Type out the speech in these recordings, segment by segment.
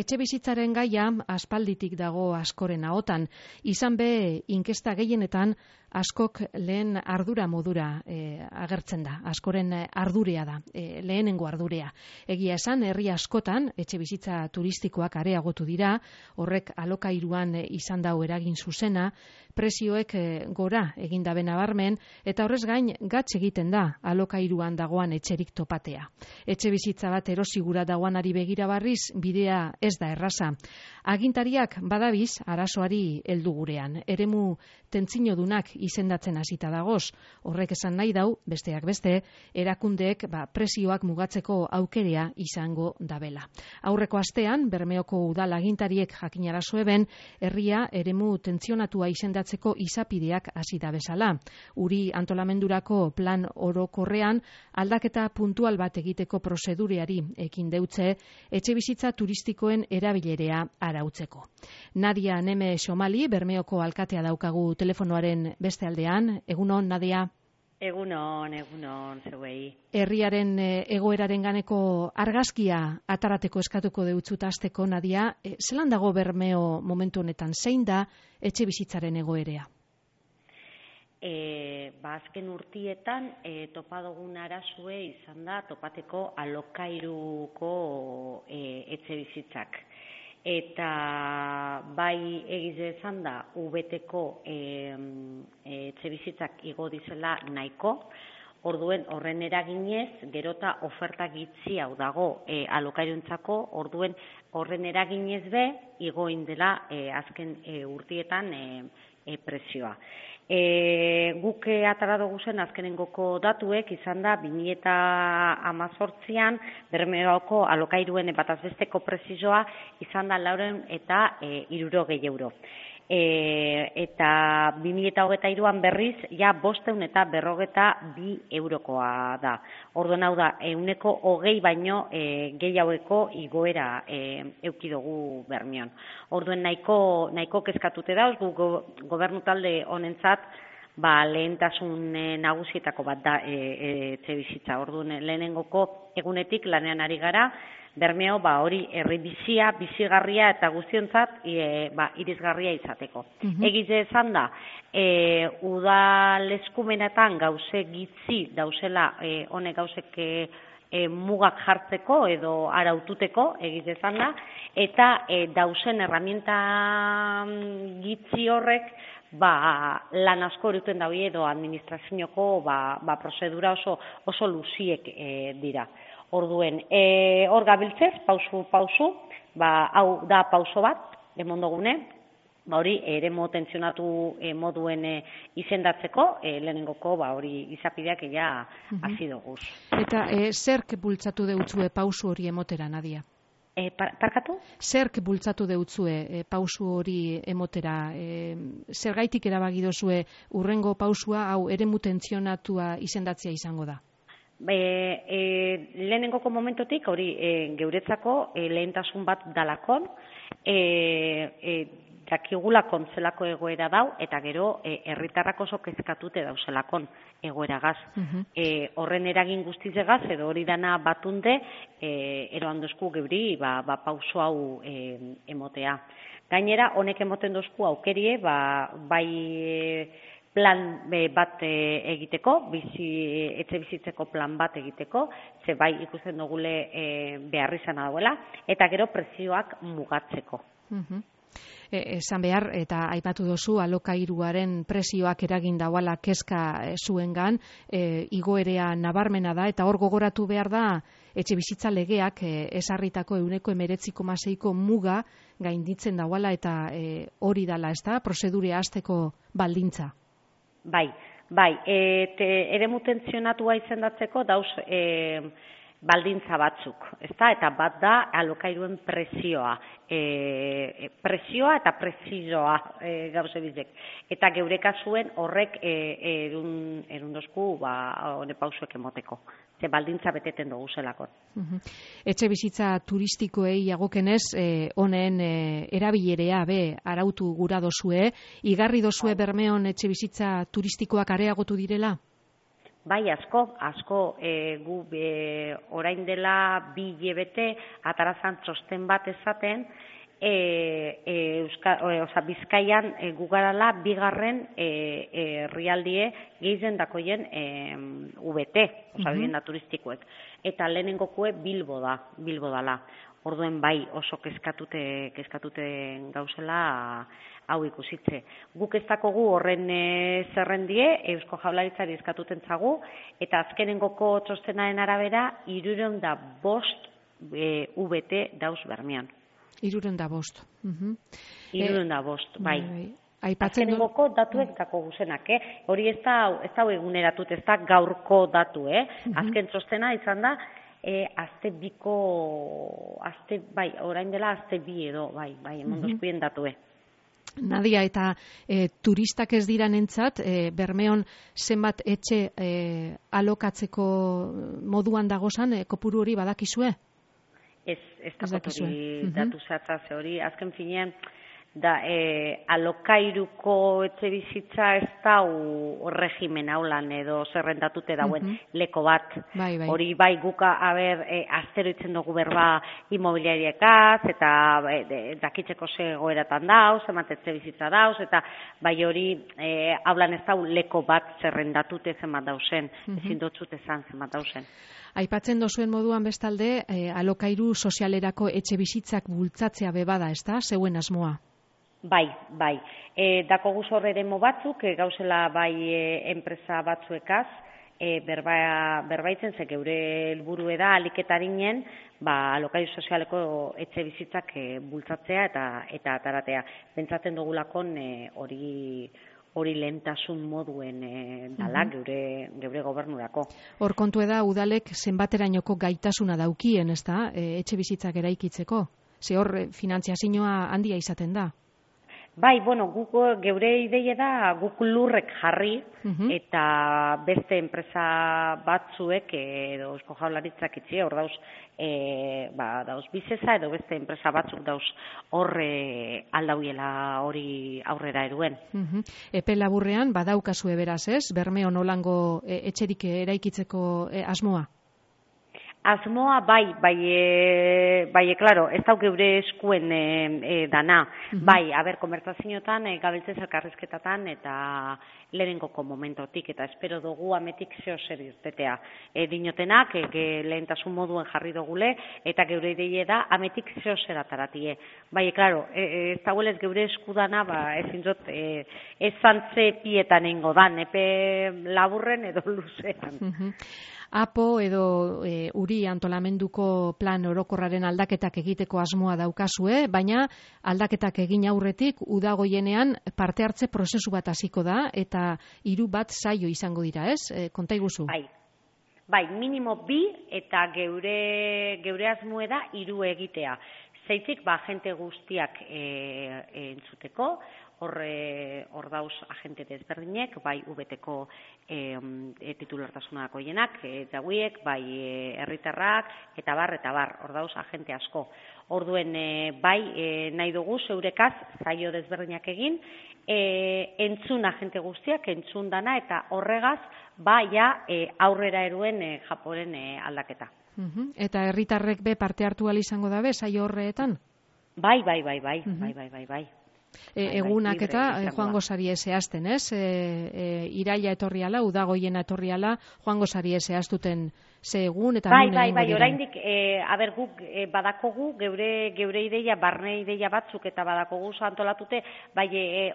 etxe bizitzaren gaia aspalditik dago askoren ahotan. Izan be, inkesta gehienetan askok lehen ardura modura agertzen da. Askoren ardurea da, lehenengo ardurea. Egia esan, herri askotan etxe bizitza turistikoak areagotu dira, horrek alokairuan izan dau eragin zuzena, prezioek gora egin dabe nabarmen, eta horrez gain gatz egiten da alokairuan dagoan etxerik topatea. Etxe bizitza bat erosigura dagoanari begira barriz, bidea ez da erraza. Agintariak badabiz arazoari heldu gurean. Eremu tentzinodunak izendatzen hasita dagoz. Horrek esan nahi dau, besteak beste, erakundeek prezioak mugatzeko aukerea izango dabela. Aurreko astean, Bermeoko udal agintariek jakinarazo eben, herria eremu tentzionatua izendatzeko izapideak hasi da bezala. Uri antolamendurako plan orokorrean aldaketa puntual bat egiteko prozedureari ekin deutze, etxe bizitza turistikoen erabilerea arautzeko. Nadia Neme Xomali, Bermeoko alkatea daukagu telefonoaren beste aldean. Egunon, Nadia? Egunon, zeuei. Herriaren egoeraren ganeko argazkia atarateko eskatuko deutzut hasteko, Nadia. Zelan dago Bermeo momentu honetan? Zein da etxe bizitzaren egoerea? Azken urtietan topa dugun arazue izan da topateko alokairuko etxe bizitzak. Eta bai egize izan da UBT-ko etxe bizitzak igo dizela nahiko, orduen horren eraginez, gerota oferta gitzi hau dago alokairuntzako, orduen horren eraginez be, igo indela azken urtietan prezioa. Guk atara dugu zen azkenengoko datuek izan da 2018an Bermeoko alokairuen batazbesteko prezioa izan da 460 euro. Eta 2023an berriz ja 542 eurokoa da. Orduan hau da, 120 baino gehiagoko igoera eduki dugu Bermeon. Orduen nahiko kezkatute dauz, gobernu talde honentzat lehentasun nagusietako bat da etxe bizitza. Orduan lehenengoko egunetik lanean ari gara, Bermeo hori herri bizia, bizigarria eta guztiontzat irisgarria izateko. Egize esan da, udal eskumenetan gauze gitzi dauzela honek gauzek mugak jartzeko edo araututeko, egize esan da, eta dauzen herramienta gitzi horrek lan asko eruten daue edo administrazioko prozedura oso luziek dira. Orduen, hor gabiltzez, pausu, hau da pauso bat, emondogune, hori eremu tentzionatu moduen izendatzeko, lehenengoko hori izapideak hasi doguz. Eta zerk bultzatu deutzue pausu hori emotera, Nadia? Parkatu? Zerk bultzatu deutzue pausu hori emotera? Zergaitik erabaki dozue urrengo pausua hau eremu tentzionatua izendatzea izango da? Lehenengoko momentotik hori geuretzako lehentasun bat dalakon, dakigulakon zelako egoera dau, eta gero herritarrak oso kezkatute dauzelakon egoeragaz. Horren eragin guztizegaz, edo hori dana batunde, eroan dozku geuri pauso hau emotea. Gainera, honek emoten dozku aukerie, bai plan bat egiteko, etxe bizitzeko plan bat egiteko, ze bai ikusten dugule beharrizana dauela, eta gero prezioak mugatzeko. Esan behar, eta aipatu dozu, alokairuaren prezioak eragin dauala kezka zuengan, igoerea nabarmena da, eta hor gogoratu behar da, etxe bizitza legeak esarritako 19,6ko muga gainditzen dauala, eta hori dala, ez da, prozedurea hasteko baldintza. Bai, eremu tentzionatua izendatzeko dauz baldintza batzuk, ezta? Eta bat da alokairuen prezioa. Prezioa eta prezioa gauze bizek. Eta geure kasuen horrek erundozku hone pausuek emoteko. Ze baldintza beteten dugu zelakon. Etxe bizitza turistikoei agokenez, honen erabilerea arautu gura dozue, igarri dozue Bermeon etxe bizitza turistikoak areagotu direla? Bai, asko, gu orain dela 2 hilabete atarazan txosten bat esaten, Bizkaian gugarala 2. herrialdie gehien dakoien VT, bidenda turistikoek. Eta lehenengokue Bilbo dala. Orduen bai oso kezkatuten gauzela hau ikusitze. Guk ez dakogu horren zerrendie, Eusko Jaurlaritzari eskatuten zagu, eta azkenengoko txostenaren arabera 305 VT dauz Bermeon. 305. 305, bai. Azkenengoko datuek dako guzenak, hori ez da eguneratut, ez da gaurko datu, Azken txostena izan da, orain dela azte 2 edo, bai, emondozkuien datue. Nadia, eta turistak ez diranentzat, Bermeon zenbat etxe alokatzeko moduan dagozan, kopuru hori badakizue? Ez dakoturi datu zehatza hori, azken finean, da alokairuko etxe bizitza ez da regimen haulan edo zerrendatute dauen leko bat. Hori bai guka, aztero itzen dugu berba imobiliariekaz, eta dakitzeko zegoeratan dauz, emat etxe bizitza dauz, eta bai hori haulan ez da leko bat zerrendatute zenbat dauzen, ezin dotzut ezan zenbat dauzen. Aipatzen dozuen moduan bestalde, alokairu sozialerako etxe bizitzak bultzatzea bebada, ez da, zeuen asmoa? Bai. Dako guz horreremo batzuk, gauzela bai enpresa batzuekaz, berbaitzen ze geure helburu da aliketarinen, alokairu sozialeko etxe bizitzak bultzatzea eta ataratea. Pentsatzen dugulakon hori lehentasun moduen dala geure gobernurako. Hor kontu da udalek zenbaterainoko gaitasuna daukien, ez da, etxe bizitzak eraikitzeko? Ze hor finantziazioa handia izaten da? Bai, guk geure ideia da guk lurrek jarri eta beste enpresa batzuek edo Eusko Jaurlaritzak itxi hor dauz bizesa edo beste enpresa batzuk dauz horre aldauiela hori aurrera eruen. Epe laburrean badaukazue beraz, ez? Bermeon nolango etxerik eraikitzeko asmoa? Asmoa claro, ez dauk geure eskuen dana. Konbertsazioetan, gabiltzen elkarrizketatan eta lehenengoko momentotik, eta espero dugu ametik zeo zer irtetea. Dinotenak, lehentasun moduen jarri dugule, eta geure ideie da ametik zeo zer ataratie. Claro, ez dagoelez geure eskudana, ezin dut, ez zantze pietan ingo dan, epe laburren edo luzean. APO edo Uri antolamenduko plan orokorraren aldaketak egiteko asmoa daukazue, baina aldaketak egin aurretik udagoienean parte hartze prozesu bat hasiko da eta 3 bat saio izango dira, ez? Konta iguzu. Bai, minimo 2 eta geure asmoa da 3 egitea. Zeitik, agente guztiak entzuteko, hor dauz agente desberdinek, bai UBT-ko titulartasunako jenak, jauiek, bai herritarrak, eta bar, hor dauz agente asko. Orduen, bai, nahi dugu zeurekaz, zaio desberdinak egin, entzun agente guztiak, entzun dana, eta horregaz, aurrera eruen Japoren aldaketa. Eta herritarrek be parte hartu ahal izango dabe, saio horreetan? Bai. Egunak eta joango zarie zehazten, ez? Iraila etorriala, udagoiena etorriala, joango zarie zehaztuten ze egun eta nun egingo diren. Oraindik, guk badakogu, geure ideia, barne ideia batzuk eta badakogu antolatute,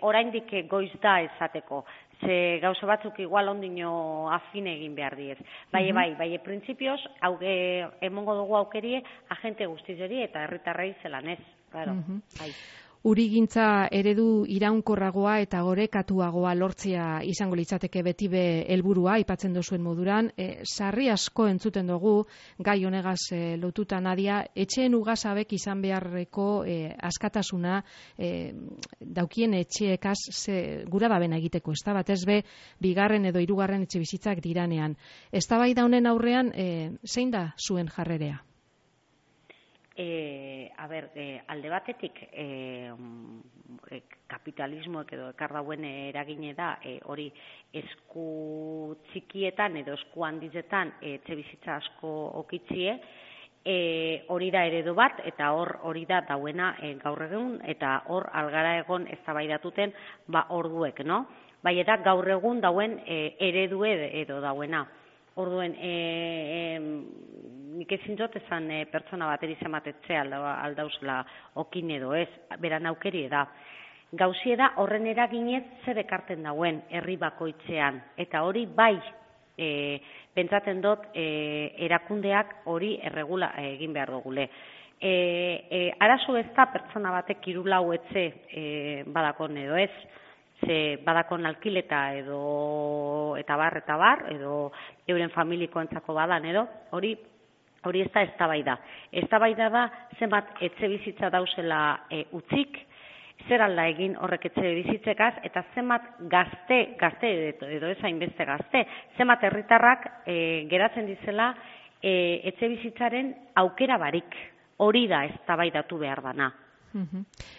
oraindik goiz da esateko. Ze gauza batzuk igual ondino afine egin behar diez. Printzipioz, emongo dugu aukerie, agente guztizeri eta herritarrei zelan ez. Urigintza eredu iraunkorragoa eta gorekatuagoa lortzea izango litzateke beti be helburua aipatzen duzuen moduran. Sarri asko entzuten dugu gai honegaz lotuta, Nadia, etxeen ugazabek izan beharreko askatasuna daukien etxeekaz gura dabena egiteko, ez da batez be 2. edo 3. etxe bizitzak diranean. Eztabaida honen aurrean zein da zuen jarrerea? Alde batetik kapitalismoek edo ekar dauen eragine da hori esku txikietan edo esku handizetan etxebizitza asko okitzie, hori da eredu bat eta hori da dauena gaur egun eta hor algara egon eztabaidatuten orduek, no? Bai eta gaur egun dauen eredu edo dauena. Orduen, nik ezin dut esan pertsona bateri zematetze aldauzela okin edo ez, beran aukeri da. Gauzie da horren eraginez zer ekarten dauen herri bakoitzean, eta hori bai pentsatzen dut erakundeak hori erregula egin behar dugule. Arazo ez da pertsona batek 3-4 etxe badakon edo ez, ze badakon alkileta eta bar, edo euren familikoentzako badan edo, hori ez da eztabaida. Eztabaida da zenbat etxe bizitza dauzela utzik, zer alda egin horrek etxe bizitzekaz, eta zenbat gazte edo ez hainbeste gazte, zenbat herritarrak geratzen dizela etxe bizitzaren aukera barik. Hori da eztabaidatu behar dana.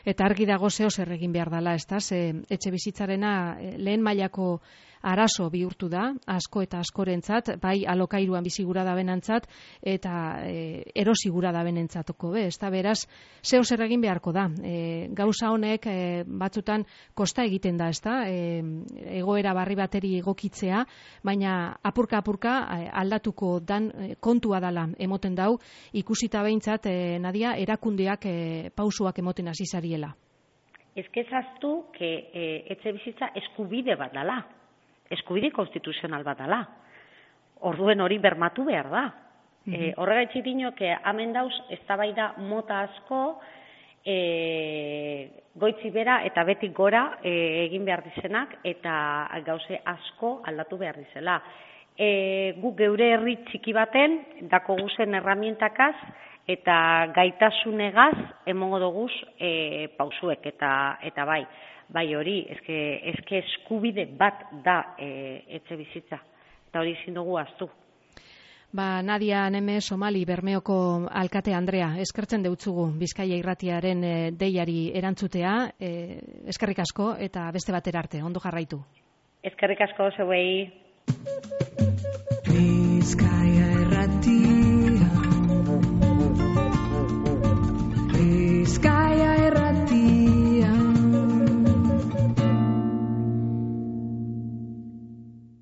Eta argi dago zeo zer egin behar dela, ez da? Etxe bizitzarena lehen mailako arazo bihurtu da, asko eta askorentzat, bai alokairuan bizigura da benantzat, eta erosigura da benentzatoko, ez da? Beraz, zeo zer egin beharko da. Gauza honek batzutan kosta egiten da, ez da? Egoera barri bateri egokitzea, baina apurka aldatuko dan kontua dala emoten dau, ikusita behintzat, Nadia, erakundeak pausuak emoten hasi zariela. Ez kezaztu etxe bizitza eskubide bat dala. Eskubide konstituzional bat dala. Orduen hori bermatu behar da. Horregaitzik dinok, hemen dauz, eztabaida mota asko, goitzi bera eta betik gora egin behar dizenak, eta gauze asko aldatu behar dizela. Guk geure herri txiki baten, dako guzen erramientakaz, eta gaitasunegaz emongo doguz pausuek, eta bai hori, eske eskubide bat da etxe bizitza, eta hori ezin dugu ahaztu. Nadia Neme Somali Bermeoko alkate Andrea, eskertzen deutzugu Bizkaia Irratiaren deiari erantzutea, eskerrik asko eta beste batera arte, ondo jarraitu. Eskerrik asko zeuei.